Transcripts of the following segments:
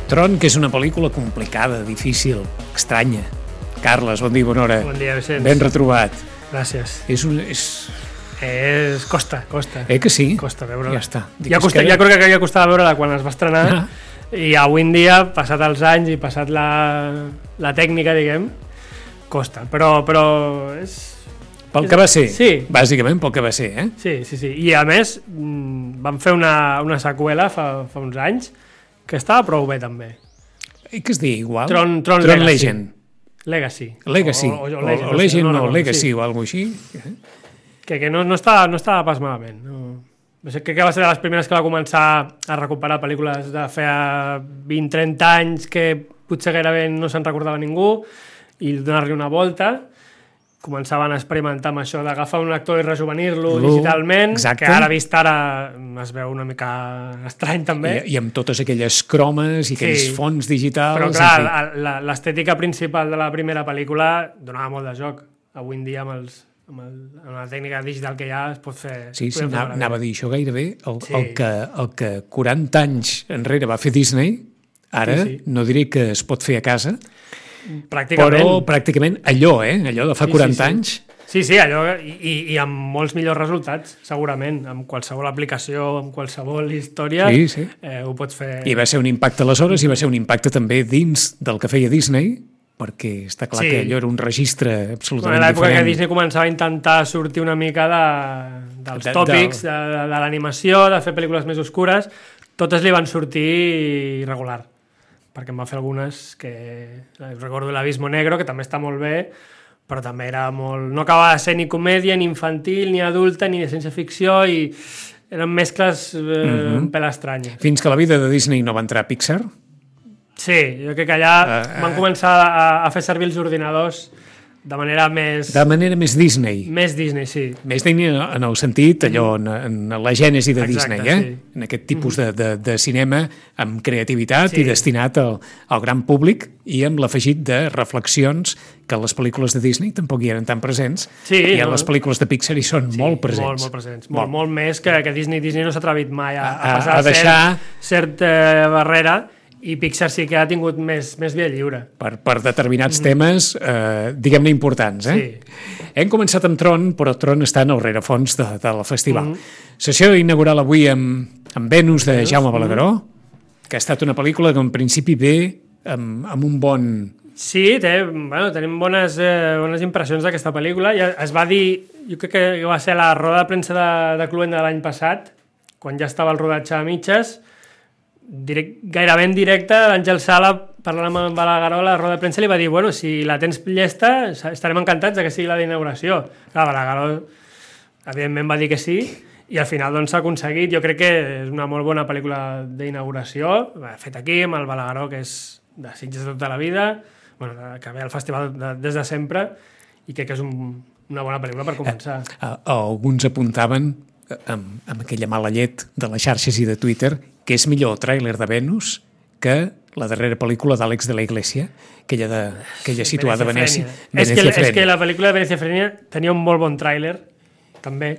Tron, que és una pel·lícula complicada, difícil, estranya. Carles, bon dia, bona hora. Bon dia, Vicenç. Ben retrobat. Gràcies. Costa. Que sí? Costa veure-la. Ja està. Ja crec que ja costava veure-la quan es va estrenar, i avui en dia, passat els anys i passat la tècnica, diguem, costa. Però és... Pel que va ser, sí. Bàsicament pel que va ser, eh? Sí. I a més, vam fer una seqüela fa uns anys que estava prou bé, també. I que es diu igual? Tron Legend. Legacy. O Legend o Legacy o alguna cosa així. Que no estava pas malament. No sé, crec que va ser de les primeres que va començar a recuperar pel·lícules de feia 20-30 anys que potser gairebé no se'n recordava ningú i donar-li una volta. Començaven a experimentar amb això d'agafar un actor i rejuvenir-lo digitalment, exacte. Que ara vist ara es veu una mica estrany també. I amb totes aquelles cromes i aquells fons digitals. Però clar, l'estètica principal de la primera pel·lícula donava molt de joc. Avui en dia amb la tècnica digital que hi ha es pot fer... Sí, anava a dir això gairebé. El que 40 anys enrere va fer Disney, ara no diré que es pot fer a casa, però pràcticament allò de fa 40 anys. Sí, allò, i amb molts millors resultats, segurament, amb qualsevol aplicació, amb qualsevol història, ho pots fer... I va ser un impacte aleshores, i va ser un impacte també dins del que feia Disney, perquè està clar que allò era un registre absolutament diferent. En l'època que Disney començava a intentar sortir una mica dels tòpics, de l'animació, de fer pel·lícules més oscures, totes li van sortir irregular, perquè em va fer algunes que... Recordo l'Abismo Negro, que també està molt bé, però també era molt... No acabava de ser ni comèdia, ni infantil, ni adulta, ni de ciència-ficció, i eren mescles un pèl estranyes. Fins que la vida de Disney no va entrar a Pixar? Sí, jo crec que allà van començar a fer servir els ordinadors de manera més... De manera més Disney. Més Disney, sí. Més Disney en el sentit, allò, en la gènesi de Disney, sí. En aquest tipus de cinema amb creativitat i destinat al gran públic i amb l'afegit de reflexions que les pel·lícules de Disney tampoc hi eren tan presents, i a les pel·lícules de Pixar hi són molt presents. Molt presents. Molt més que Disney. Disney no s'ha atrevit mai a passar a deixar certa barrera, i Pixar sí que ha tingut més via lliure. Per determinats temes, diguem-ne, importants. Hem començat amb Tron, però Tron està en el rerefons del festival. Sessió inaugural avui amb Venus de Jaume Balagueró, que ha estat una pel·lícula que en principi ve amb un bon... Sí, tenim bones impressions d'aquesta pel·lícula. Es va dir, jo crec que va ser la roda de premsa de Cluent de l'any passat, quan ja estava el rodatge a mitges, gairebé en directe, l'Àngel Sala, parlant amb el Balagueró, la roda de premsa li va dir, bueno, si la tens llesta, estarem encantats que sigui la d'inauguració. Clar, Balagueró, evidentment, va dir que sí, i al final s'ha aconseguit. Jo crec que és una molt bona pel·lícula d'inauguració, fet aquí, amb el Balagueró, que és de Sitges de tota la vida, que ve al festival des de sempre, i crec que és una bona pel·lícula per començar. Alguns apuntaven, amb aquella mala llet de les xarxes i de Twitter, que és millor el tràiler de Venus que la darrera pel·lícula d'Àlex de la Iglesia, aquella situada a Venècia. És que la pel·lícula de Venècia Frenia tenia un molt bon tràiler, també,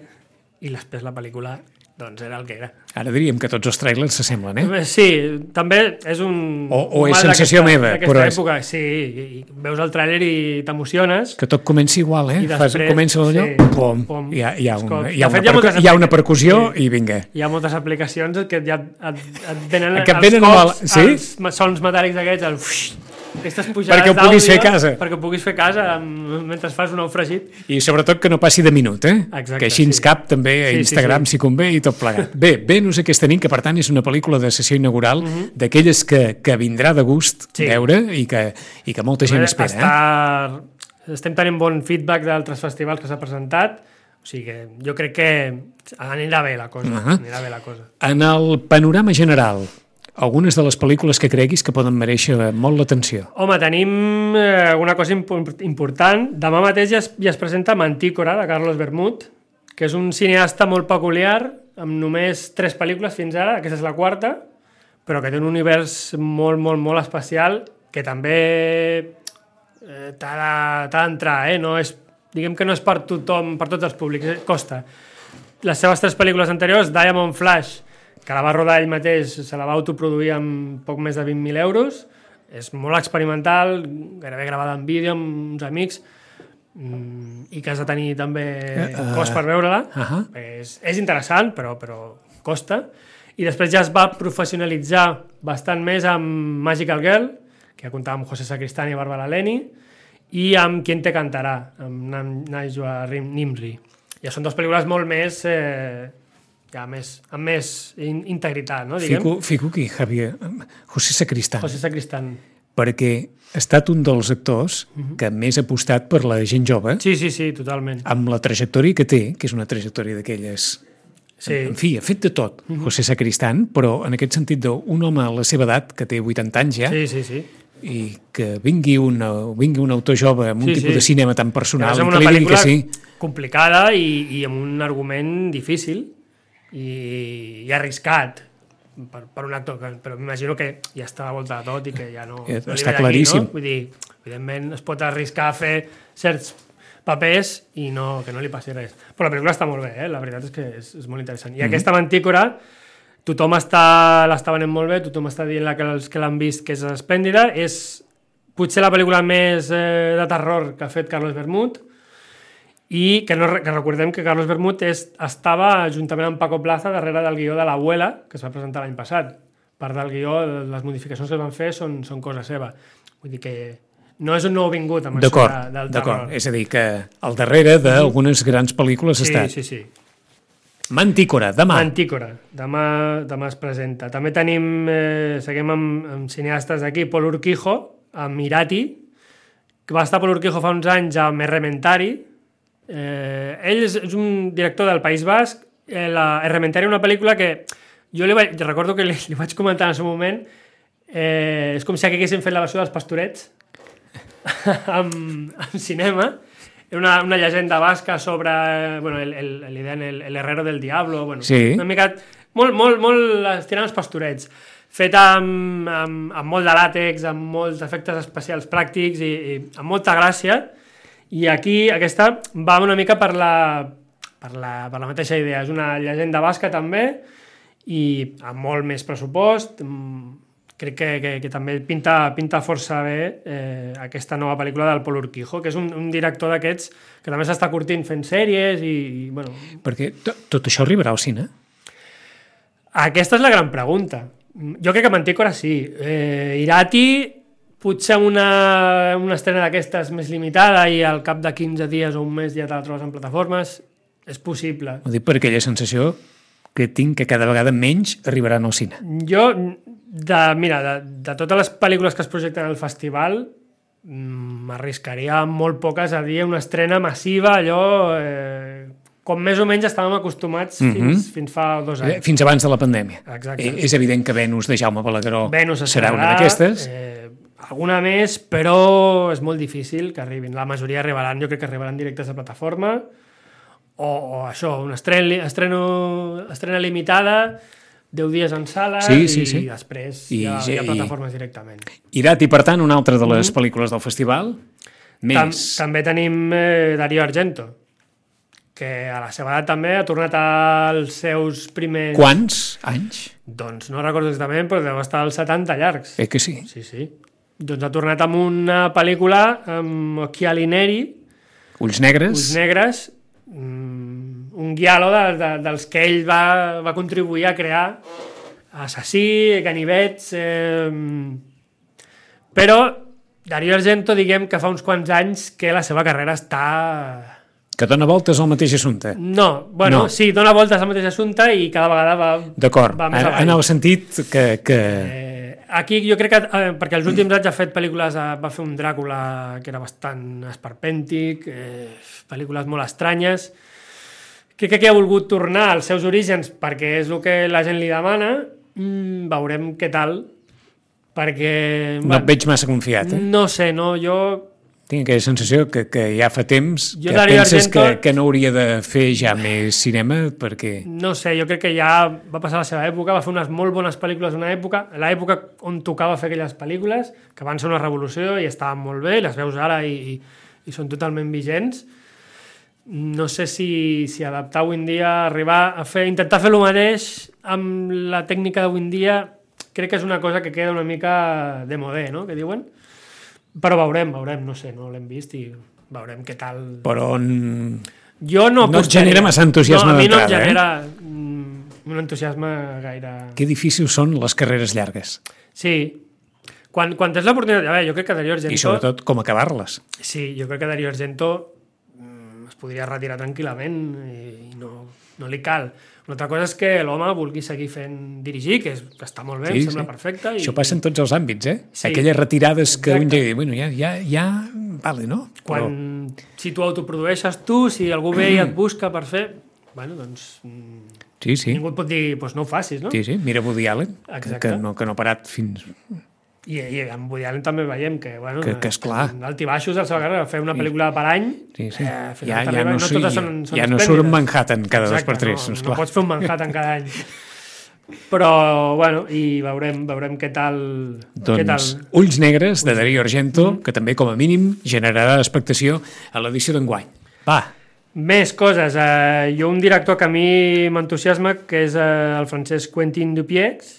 i després la pel·lícula era el que era. Ara diríem que tots els tràilers s'assemblen, Sí, també és un... O és sensació meva, però és... època, sí, i veus el tràiler i t'emociones. Que tot comença igual, I després, comença allò, pom, hi ha una percussió i vinga. Hi ha moltes aplicacions que ja et venen els sons metàl·lics aquests, aquestes pujades d'àudio, perquè puguis fer casa mentre fas un ou fregit. I sobretot que no passi de minut, Exacte, que així ens cap també a Instagram si convé i tot plegat. Bé, Venus aquesta nit, que per tant és una pel·lícula de sessió inaugural, d'aquelles que vindrà de gust veure i que molta gent espera. Estem tenint bon feedback d'altres festivals que s'ha presentat, o sigui que jo crec que anirà bé la cosa. En el panorama general, algunes de les pel·lícules que creguis que poden mereixer molt l'atenció. Home, tenim una cosa important. Demà mateix ja es presenta Mantícora, de Carlos Bermud, que és un cineasta molt peculiar, amb només 3 pel·lícules fins ara, aquesta és la 4ª, però que té un univers molt, molt, molt especial, que també t'ha d'entrar, diguem que no és per tothom, per tots els públics, costa. Les seves 3 pel·lícules anteriors, Diamond Flash, que la va rodar ell mateix, se la va autoproduir amb poc més de 20.000 euros, és molt experimental, gairebé gravada en vídeo amb uns amics, i que has de tenir també cost per veure-la. És interessant, però costa. I després ja es va professionalitzar bastant més amb Magical Girl, que ja comptava amb José Sacristán i Bárbara Leni, i amb Quien te cantarà, amb Najwa Nimri. Ja són dues pel·lícules molt més... amb més integritat, no? Fico aquí, Javier. José Sacristán. José Sacristán. Perquè ha estat un dels actors que més ha apostat per la gent jove. Sí, totalment. Amb la trajectòria que té, que és una trajectòria d'aquelles... Sí. En fi, ha fet de tot, José Sacristán, però en aquest sentit d'un home a la seva edat, que té 80 anys ja, sí. I que vingui un autor jove amb un tipus de cinema tan personal, és una pel·lícula complicada i amb un argument difícil i arriscat per un actor, però m'imagino que ja està a volta de tot i que ja no... Està claríssim. No? Vull dir, evidentment es pot arriscar a fer certs papers i que no li passi res. Però la pel·lícula està molt bé, la veritat és que és molt interessant. I aquesta Mantícora, tothom l'està venent molt bé, tothom està dient que els que l'han vist que és esplèndida, és potser la pel·lícula més de terror que ha fet Carlos Bermud, i que recordem que Carlos Bermud estava juntament amb Paco Plaza darrere del guió de l'Abuela, que es va presentar l'any passat. Part del guió, les modificacions que es van fer són cosa seva. Vull dir que no és un nou vingut amb això del terror. D'acord, és a dir, que al darrere d'algunes grans pel·lícules ha estat. Sí. Mantícora, demà. Demà es presenta. També seguim amb cineastes d'aquí, Pol Urquijo, amb Irati, que va estar Pol Urquijo fa uns anys amb Errementari. Ell és un director del País Basc. Errementari, una pel·lícula que jo recordo que li vaig comentar en el seu moment, és com si haguessin fet la versió dels Pastorets amb cinema. Era una llegenda basca sobre el herrero del diablo, una mica molt estirant els Pastorets, feta amb molt de làtex, amb molts efectes especials pràctics i amb molta gràcia. I aquí aquesta va una mica per la mateixa idea. És una llegenda basca també i amb molt més pressupost. Crec que també pinta força bé aquesta nova pel·lícula del Pol Urquijo, que és un director d'aquests que també s'està curtint fent sèries i Perquè tot això arribarà al cine? Aquesta és la gran pregunta. Jo crec que Mantícora sí. Irati, potser una estrena d'aquestes més limitada i al cap de 15 dies o un mes ja te la trobes en plataformes, és possible. Ho dic per aquella sensació que tinc que cada vegada menys arribaran al cine. Jo... de totes les pel·lícules que es projecten al festival m'arriscaria molt poques a dir una estrena massiva, allò com més o menys estàvem acostumats fins fa 2 anys. Fins abans de la pandèmia. Exacte. És evident que Venus de Jaume Balagueró serà una d'aquestes. Alguna més, però és molt difícil que arribin. La majoria arribaran, jo crec que arribaran directes a plataforma o això, una estrena limitada, 10 dies en sales i després hi ha plataformes directament. Irati, per tant, una altra de les pel·lícules del festival. També tenim Darío Argento, que a la seva edat també ha tornat als seus primers... Quants anys? Doncs no recordo exactament, però deu estar als 70 llargs. Que sí? Sí. Doncs ha tornat amb una pel·lícula amb Occhiali Neri. Ulls negres. Un guialo dels que ell va contribuir a crear, Assassí, Ganivets, però Darío Argento, diguem que fa uns quants anys que la seva carrera està... Que dona voltes al mateix assumpte. No. Sí, dona voltes al mateix assumpte i cada vegada va... D'acord, en el sentit que... Aquí jo crec que, perquè els últims anys ha fet pel·lícules, va fer un Dràcula que era bastant esperpèntic, pel·lícules molt estranyes. Crec que aquí ha volgut tornar als seus orígens perquè és el que la gent li demana. Veurem què tal, perquè... No et veig massa confiat, No sé, jo... Tinc aquella sensació que ja fa temps que Darío penses Argento, que no hauria de fer ja més cinema, perquè... No sé, jo crec que ja va passar la seva època, va fer unes molt bones pel·lícules en l'època on tocava fer aquelles pel·lícules, que van ser una revolució i estaven molt bé, les veus ara i són totalment vigents. no sé si adaptar avui en dia, arribar a intentar fer el mateix amb la tècnica d'avui en dia, crec que és una cosa que queda una mica de modé, no?, que diuen. Però veurem, no sé, no l'hem vist i veurem què tal... Però jo no et genera massa entusiasme d'entrada, a mi no em genera un entusiasme gaire... Que difícils són les carreres llargues. Sí. Quan tens l'oportunitat... A veure, jo crec que Dario Argento... I sobretot com acabar-les. Sí, jo crec que Dario Argento es podria retirar tranquil·lament i no li cal. Una altra cosa és que l'home vulgui seguir dirigir, que està molt bé, em sembla perfecte. Això passa en tots els àmbits, Sí. Aquelles retirades que un dia... Bueno, ja... Vale, no? Si tu autoprodueixes si algú ve i et busca per fer... Bueno, doncs... Sí. Ningú et pot dir, doncs no ho facis, no? Sí, mira Woody Allen, que no ha parat fins... I amb Woody Allen també veiem que, bueno, que és clar. Altibaixos de la seva carrera, fer una pel·lícula per any... Sí. Ja no surt un Manhattan cada 2 per 3. No pots fer un Manhattan cada any. Però, bueno, i veurem què tal... Doncs Ulls Negres, de Dario Argento, que també, com a mínim, generarà expectació a l'edició d'enguany. Va! Més coses. Jo un director que a mi m'entusiasma, que és el francès Quentin Dupieux.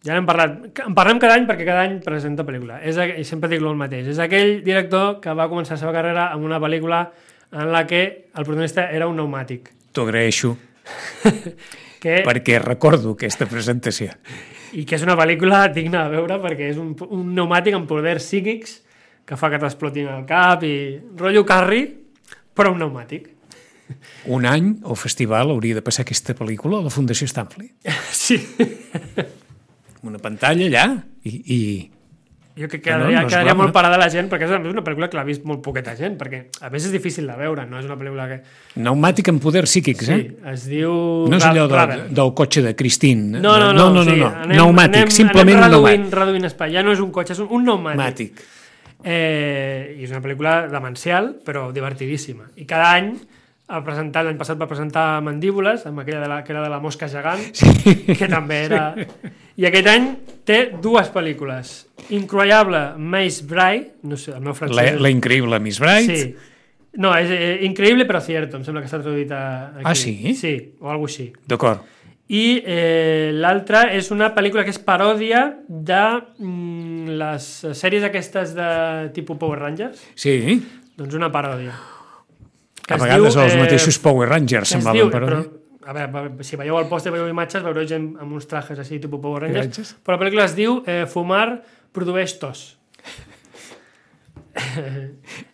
Ja n'hem parlat. En parlem cada any perquè cada any presenta pel·lícula. I sempre dic el mateix. És aquell director que va començar la seva carrera amb una pel·lícula en la que el protagonista era un pneumàtic. T'ho agraeixo. Perquè recordo aquesta presentació. I que és una pel·lícula digna de veure perquè és un pneumàtic amb poders psíquics que fa que t'explotin el cap i rotllo Carrie, però un pneumàtic. Un any o festival hauria de passar aquesta pel·lícula a la Fundació Stanley. Sí. Una pantalla allà i... Jo crec que quedaria molt parada la gent, perquè és una pel·lícula que l'ha vist molt poqueta gent, perquè a més és difícil de veure, no és una pel·lícula que... Pneumàtic amb poders psíquics, Sí, es diu... No és allò del cotxe de Christine. No. Pneumàtic, simplement anem reduint espai. Ja no és un cotxe, és un pneumàtic. I és una pel·lícula demencial, però divertidíssima. I cada any l'any passat va presentar Mandíbules, amb aquella que era de la mosca gegant, que també era... I aquest any té 2 pel·lícules. Incroyable Miss Bride, no sé, el meu francès... La increïble Miss Bride. Sí. No, és Increïble però cierto, em sembla que està traduït aquí. Ah, sí? Sí, o alguna cosa així. D'acord. I l'altra és una pel·lícula que és paròdia de les sèries aquestes de tipus Power Rangers. Sí. Doncs una paròdia. A vegades els mateixos Power Rangers semblaven paròdia. A veure, si veieu el pòster, veieu imatges, veureu gent amb uns trajes així, tipus Power Rangers, però la pel·lícula es diu Fumar produeix tos.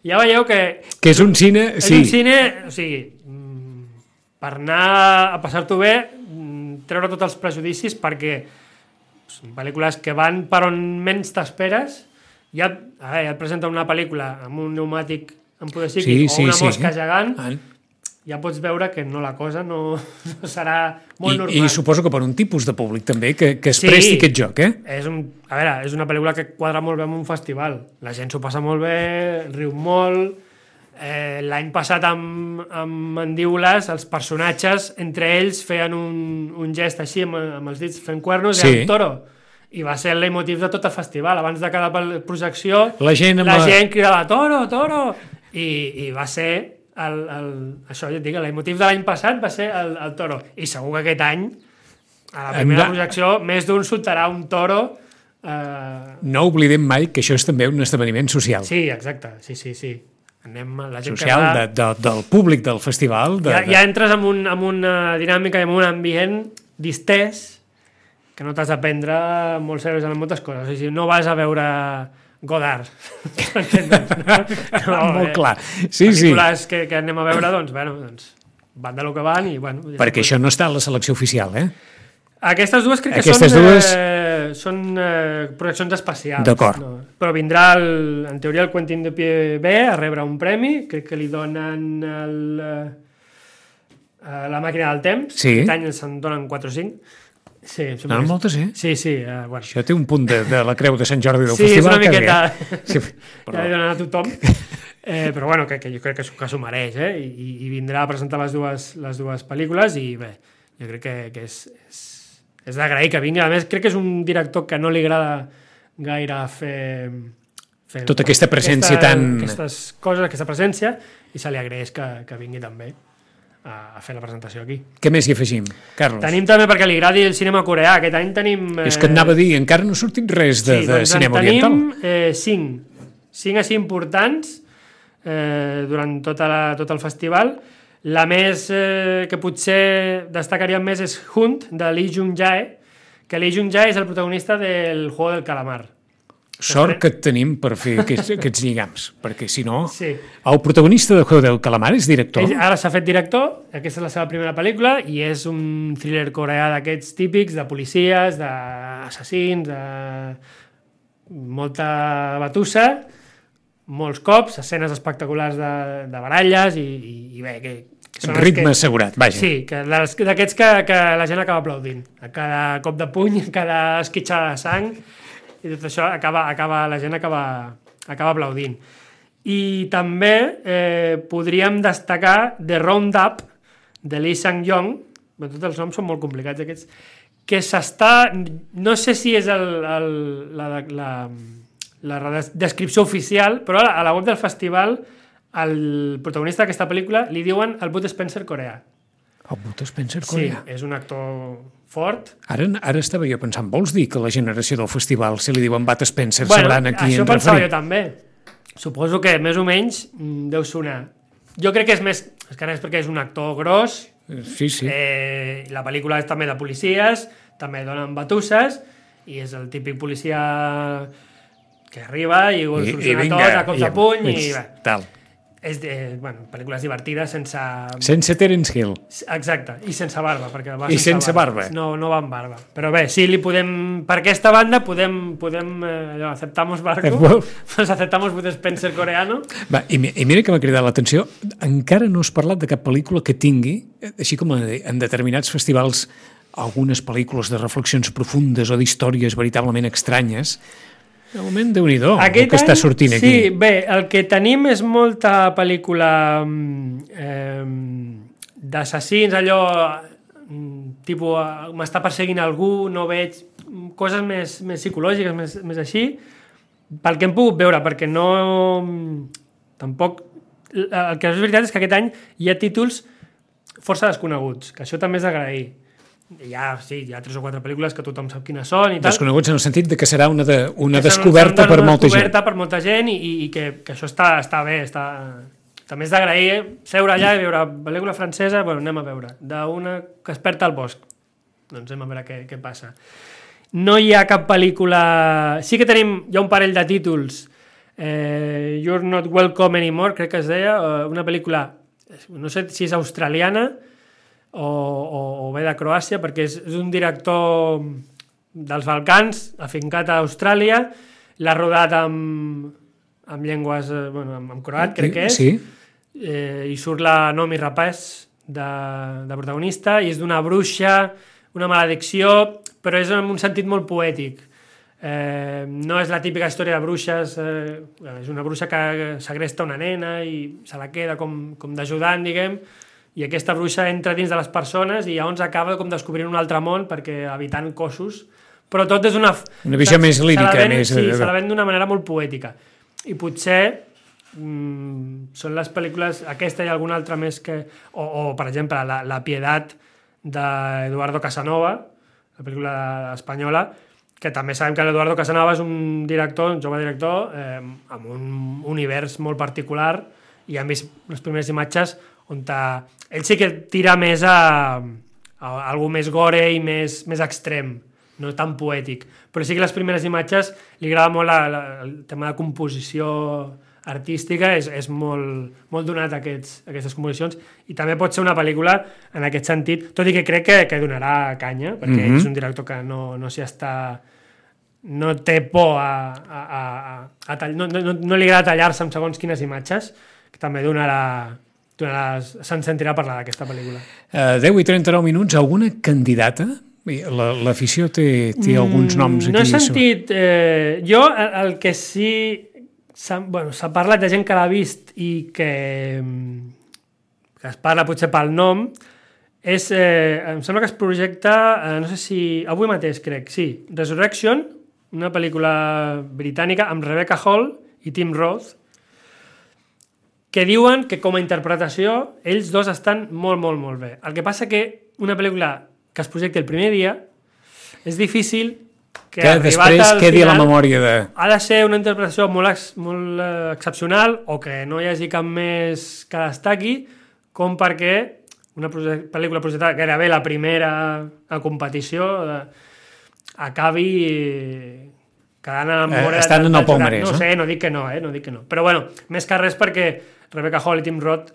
Ja veieu que... Que és un cine... És un cine, o sigui, per anar a passar-t'ho bé, treure tots els prejudicis, perquè són pel·lícules que van per on menys t'esperes. Ja et presenten una pel·lícula amb un pneumàtic amb poder psíquic o una mosca gegant, ja pots veure que la cosa no serà molt normal. I suposo que per un tipus de públic també que es presti aquest joc, és una pel·lícula que quadra molt bé en un festival. La gent s'ho passa molt bé, riu molt. L'any passat amb Mandíbules, els personatges, entre ells, feien un gest així amb els dits fent cuernos, i toro. I va ser el leitmotiv de tot el festival. Abans de cada projecció, la gent cridava toro, toro, i va ser... això ja et dic, el motiu de l'any passat va ser el toro, i segur que aquest any a la primera projecció més d'un soltarà un toro. No oblidem mai que això és també un esdeveniment social. Sí, exacte, sí. La gent social del públic del festival. Ja entres en una dinàmica i en un ambient distès que no t'has d'aprendre molt seriós en moltes coses. O sigui, no vas a veure Godard. Molt clar. Sí. Pel·lícules que anem a veure, doncs van de lo que van i... Perquè això no està a la selecció oficial, Aquestes dues crec que són projeccions especials. D'acord. Però vindrà, en teoria, el Quentin Dupieux B a rebre un premi, crec que li donen la màquina del temps. Aquest any se'n donen 4 o 5. Sí, moltes, Sí. Bueno. Això té un punt de la creu de Sant Jordi del festival. Sí, és una miqueta... Ja li donen a tothom. Però bueno, que jo crec que s'ho mereix, I vindrà a presentar les dues pel·lícules i bé, jo crec que és d'agrair que vingui. A més, crec que és un director que no li agrada gaire fer fent tota aquesta presència tan... Aquestes coses, aquesta presència, i se li agraeix que vingui també a fer la presentació aquí. Què més hi afegim, Carlos? Tenim també, perquè li agradi el cinema coreà, aquest any tenim... És que et anava a dir, encara no ha sortit res de cinema oriental. Tenim 5 així importants durant tot el festival. La més que potser destacaríem més és Hunt, de Lee Jung-jae, que Lee Jung-jae és el protagonista del Juego del Calamar. Sort que et tenim per fer aquests lligams, perquè si no... Sí. El protagonista de Juego del Calamar és director? Ara s'ha fet director, aquesta és la seva primera pel·lícula, i és un thriller coreà d'aquests típics, de policies, d'assassins, de molta batussa, molts cops, escenes espectaculars de baralles i bé, que són ritme assegurat, vaja. Sí, d'aquests que la gent acaba aplaudint. A cada cop de puny, a cada esquitxada de sang, i tot això la gent acaba aplaudint. I també podríem destacar The Roundup, de Lee Sang-yong, tots els noms són molt complicats aquests, que s'està... No sé si és la descripció oficial, però a la web del festival al protagonista d'aquesta pel·lícula li diuen el Bud Spencer coreà. El Bud Spencer coreà? Sí, és un actor fort. Ara estava jo pensant, vols dir que la generació del festival, si li diuen Bud Spencer, sabran a qui en referim? Això pensava jo també. Suposo que més o menys deu sonar. Jo crec que és més... És que és perquè és un actor gros. Sí. La pel·lícula és també de policies, també donen batusses, i és el típic policia que arriba i ho soluciona tot a cops de puny i bé. Tal. És pel·lícules divertides sense Terence Hill. Exacte, i sense barba, perquè va sense barba. No va amb barba. Però bé, sí, li podem... Per aquesta banda podem aceptamos barco, pues aceptamos Bud Spencer coreano. Va, i mira que m'ha cridat l'atenció, encara no has parlat de cap pel·lícula que tingui, així com en determinats festivals, algunes pel·lícules de reflexions profundes o d'històries veritablement estranyes. De moment, Déu-n'hi-do, el que està sortint aquí. Sí, bé, el que tenim és molta pel·lícula d'assassins, allò tipus, m'està perseguint algú, no veig coses més psicològiques, més així, pel que hem pogut veure, perquè no... Tampoc... El que és veritat és que aquest any hi ha títols força desconeguts, que això també és d'agrair. Hi ha 3 o 4 pel·lícules que tothom sap quines són i tal. Desconeguts en el sentit de que serà una descoberta per molta gent. Una descoberta per molta gent i que això està bé. També és d'agrair seure allà i veure pel·lícula francesa, anem a veure, d'una que es perd al bosc. Doncs anem a veure què passa. No hi ha cap pel·lícula... Sí que hi ha un parell de títols. You're Not Welcome Anymore, crec que es deia, una pel·lícula, no sé si és australiana, o ve de Croàcia, perquè és un director dels Balcans, afincat a Austràlia, l'ha rodat amb llengües, amb croat, crec que és, sí. I surt la Noomi Rapace de protagonista, i és d'una bruixa, una maledicció, però és en un sentit molt poètic. No és la típica història de bruixes, és una bruixa que segresta una nena i se la queda com d'ajudant, diguem, i aquesta bruixa entra dins de les persones i llavors acaba com descobrint un altre món perquè habitant cossos, però tot és una visió més lírica. Sí, se la ven d'una manera molt poètica. I potser són les pel·lícules, aquesta i alguna altra més que... O per exemple, La Piedad d'Eduardo Casanova, la pel·lícula espanyola, que també sabem que l'Eduardo Casanova és un director, un jove director, amb un univers molt particular, i hem vist les primeres imatges on ell sí que tira més a algú més gore i més extrem, no tan poètic, però sí que les primeres imatges li agrada molt el tema de composició artística, és molt donat a aquestes composicions, i també pot ser una pel·lícula en aquest sentit, tot i que crec que donarà canya, perquè és un director que no s'hi està... no té por no li agrada tallar-se amb segons quines imatges, que també se'n sentirà parlar d'aquesta pel·lícula. 10:39 minuts, alguna candidata? L'afició té alguns noms aquí. No he sentit... Jo, el que sí... S'ha parlat de gent que l'ha vist i que es parla potser pel nom, em sembla que es projecta, no sé si... Avui mateix, crec, sí. Resurrection, una pel·lícula britànica amb Rebecca Hall i Tim Roth, que diuen que com a interpretació ells dos estan molt, molt, molt bé. El que passa que una pel·lícula que es projecti el primer dia és difícil que després quedi a la memòria de... Ha de ser una interpretació molt excepcional o que no hi hagi cap més que destaqui com perquè una pel·lícula projectada gairebé la primera a competició acabi quedant a la memòria... Estan en el palmarès, no? No sé, no dic que no, no dic que no. Però bueno, més que res perquè Rebecca Hall i Tim Roth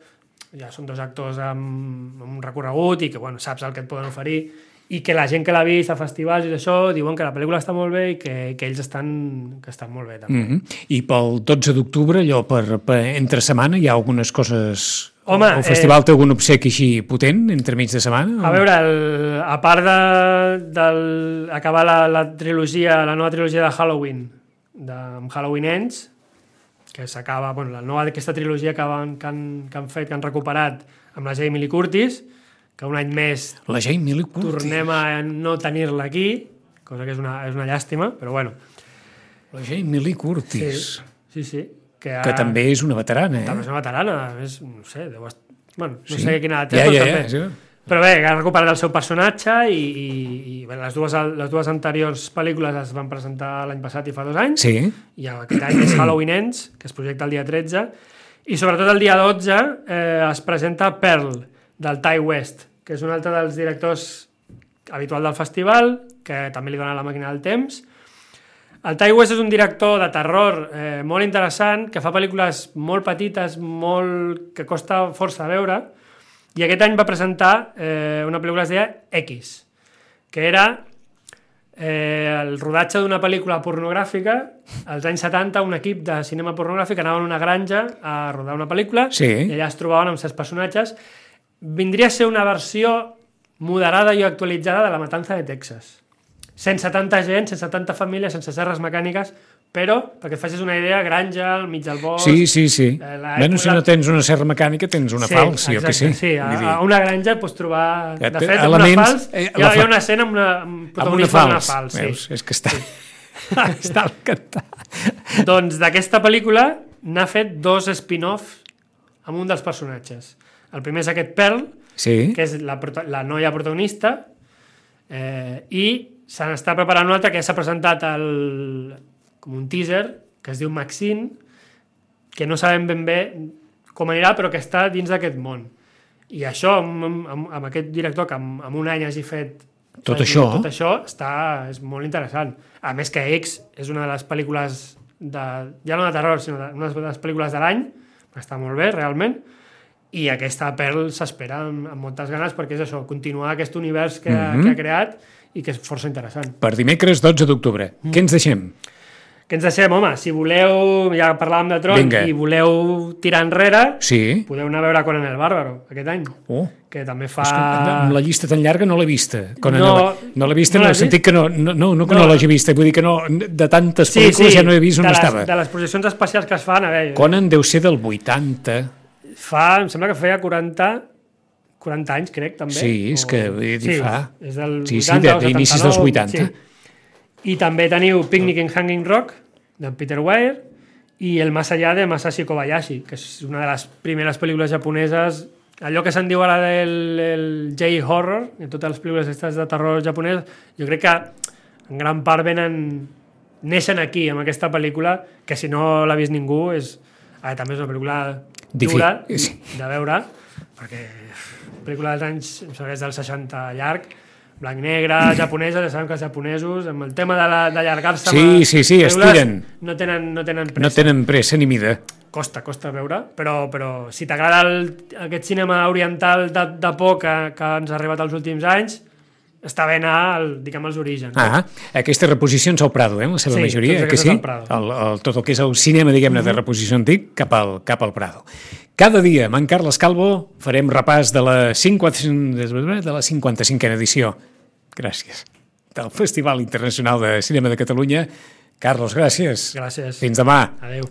ja són dos actors amb un recorregut i que bueno, saps el que et poden oferir i que la gent que l'ha vist a festivals i això diuen que la pel·lícula està molt bé i que ells estan molt bé també. I pel 12 d'octubre, allò per entre setmana, hi ha algunes coses... Home, el festival té algun obsequi així potent entre mig de setmana? A veure, a part d'acabar la trilogia, la nova trilogia de Halloween, amb Halloween Ends, que s'acaba, bueno, la nova d'aquesta trilogia que han fet, que han recuperat amb la Jamie Lee Curtis, que un any més la Jamie Lee Curtis. Tornem a no tenir-la aquí, cosa que és una llàstima, però bueno. La Jamie Lee Curtis. Sí. Que també és una veterana, També és una veterana, no sé, no sé quina edat té, però també. Sí. Però bé, ha recuperat el seu personatge i bé, les dues anteriors pel·lícules es van presentar l'any passat i fa 2 anys, i aquest any és Halloween Ends, que es projecta el dia 13, i sobretot el dia 12 es presenta Pearl, del Ty West, que és un altre dels directors habitual del festival, que també li dona la màquina del temps. El Ty West és un director de terror molt interessant, que fa pel·lícules molt petites, que costa força a veure, i aquest any va presentar una pel·lícula que es deia X, que era el rodatge d'una pel·lícula pornogràfica. Als anys 70 un equip de cinema pornogràfic anava a una granja a rodar una pel·lícula i allà es trobaven amb certs personatges. Vindria a ser una versió moderada i actualitzada de La Matanza de Texas. Sense tanta gent, sense tanta família, sense serres mecàniques, però, perquè et facis una idea, granja, al mig del bosc... Sí. Bueno, si no tens una serra mecànica, tens una falç, jo que sé. Sí, a una granja pots trobar... De fet, una falç, hi ha una escena amb un protagonista d'una falç. Veus? És que està encantat. Doncs d'aquesta pel·lícula n'ha fet 2 spin-offs amb un dels personatges. El primer és aquest Pearl, que és la noia protagonista, i se n'està preparant un altre que ja s'ha presentat com un teaser, que es diu Maxine, que no sabem ben bé com anirà, però que està dins d'aquest món. I això, amb aquest director que en un any hagi fet tot això és molt interessant. A més que X és una de les pel·lícules ja no de terror, sinó una de les pel·lícules de l'any, està molt bé, realment, i aquesta Pearl s'espera amb moltes ganes perquè és això, continuar aquest univers que ha creat i que és força interessant. Per dimecres 12 d'octubre. Què ens deixem? Què ens deixem, home? Si voleu, ja parlàvem de Tron, i voleu tirar enrere, podeu anar a veure Conan el Bàrbaro aquest any, que també fa... Amb la llista tan llarga no l'he vista. No l'he vista en el sentit que no l'hagi vista, vull dir que de tantes pel·lícules ja no he vist on estava. De les projeccions especials que es fan, a veure... Conan deu ser del 80... Em sembla que feia 40 anys, crec, també. Sí, és que fa... És del 80 o 79. D'inicis dels 80. I també teniu Picnic in Hanging Rock, de Peter Weir, i El Más allá, de Masashi Kobayashi, que és una de les primeres pel·lícules japoneses, allò que se'n diu ara del J-horror, de totes les pel·lícules de terror japonès, jo crec que en gran part neixen aquí, amb aquesta pel·lícula, que si no l'ha vist ningú, també és una pel·lícula dura de veure, perquè pel·lícula dels anys, em sembla que és del 60 llarg, blanc i negre, japonesa, ja sabem que els japonesos, amb el tema d'allargar-se... Sí, estiren. No tenen pressa. No tenen pressa ni mida. Costa veure, però si t'agrada aquest cinema oriental de por que ens ha arribat als últims anys, està bé anar, diguem, als orígens. Aquestes reposicions al Prado, la seva majoria, que sí? Tot el que és el cinema, diguem-ne, de reposició antic cap al Prado. Cada dia, amb en Carles Calvo, farem repàs de la 55a edició. Gràcies. Del Festival Internacional de Cinema de Catalunya. Carlos, gràcies. Gràcies. Fins demà. Adéu.